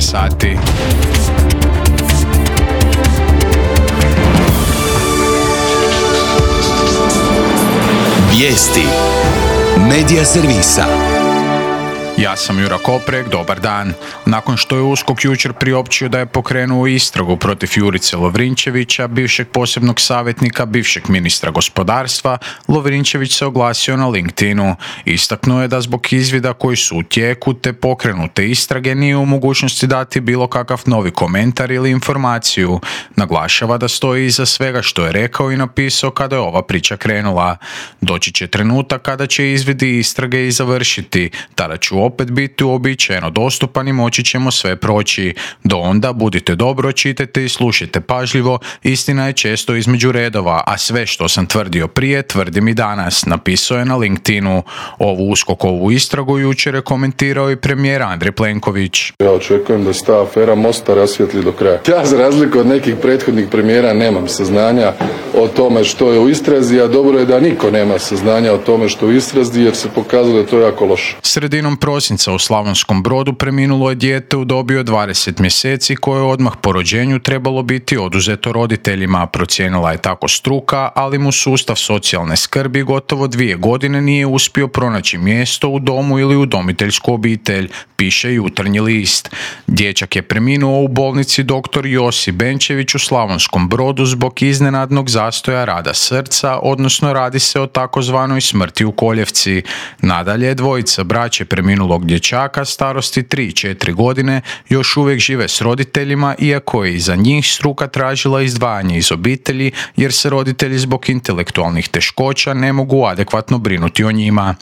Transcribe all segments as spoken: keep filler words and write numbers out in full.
sati. Vijesti Medija servisa. Ja sam Jura Koprek, dobar dan. Nakon što je U S K O K jučer priopćio da je pokrenuo istragu protiv Jurice Lovrinčevića, bivšeg posebnog savjetnika, bivšeg ministra gospodarstva, Lovrinčević se oglasio na LinkedInu. Istaknuo je da zbog izvida koji su u tijeku te pokrenute istrage nije u mogućnosti dati bilo kakav novi komentar ili informaciju. Naglašava da stoji iza svega što je rekao i napisao kada je ova priča krenula. Doći će trenutak kada će izvidi istrage i završiti, tada ću opet biti uobičajeno dostupan i moći ćemo sve proći. Do onda budite dobro, čitajte i slušajte pažljivo, istina je često između redova, a sve što sam tvrdio prije, tvrdim i danas, napisao je na LinkedInu. Ovu uskokovu istragu jučer je komentirao i premijer Andrej Plenković. Ja očekujem da se ta afera Mosta rasvijetli do kraja. Ja za razliku od nekih prethodnih premijera nemam saznanja o tome što je u istrazi, a dobro je da niko nema saznanja o tome što je u istrazi, jer se pokazalo da je to jako loše. Sredinom prosinca u Slavonskom Brodu preminulo je dijete u dobi od dvadeset mjeseci koje je odmah po rođenju trebalo biti oduzeto roditeljima, procijenila je tako struka, ali mu sustav socijalne skrbi gotovo dvije godine nije uspio pronaći mjesto u domu ili udomiteljsku obitelj, piše Jutarnji list. Dječak je preminuo u bolnici doktor Josip Benčević u Slavonskom Brodu zbog iznenadnog zastoja rada srca, odnosno radi se o takozvanoj smrti u koljevci. Nadalje, dvojica braće preminulog dječaka starosti tri i četiri godine još uvijek žive s roditeljima, iako je i za njih struka tražila izdvajanje iz obitelji jer se roditelji zbog intelektualnih teškoća ne mogu adekvatno brinuti o njima.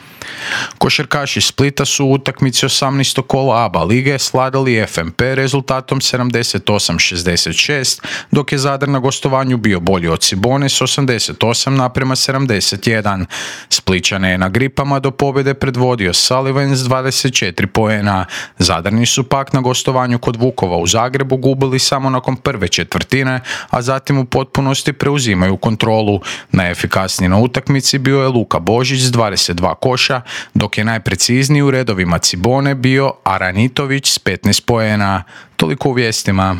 Košarkaši Splita su u utakmici osamnaestog kola A B A lige sladali F M P rezultatom sedamdeset osam šezdeset šest, dok je Zadar na gostovanju bio bolji od Cibone s osamdeset osam naprema sedamdeset jedan. Splićane je na gripama do pobjede predvodio Sullivan s dvadeset četiri poena. Zadarni su pak na gostovanju kod Vukova u Zagrebu gubili samo nakon prve četvrtine, a zatim u potpunosti preuzimaju kontrolu. Najefikasniji na utakmici bio je Luka Božić s dvadeset dva koša, dok je najprecizniji u redovima Cibone bio Aranitović s petnaest poena. Toliko u vijestima.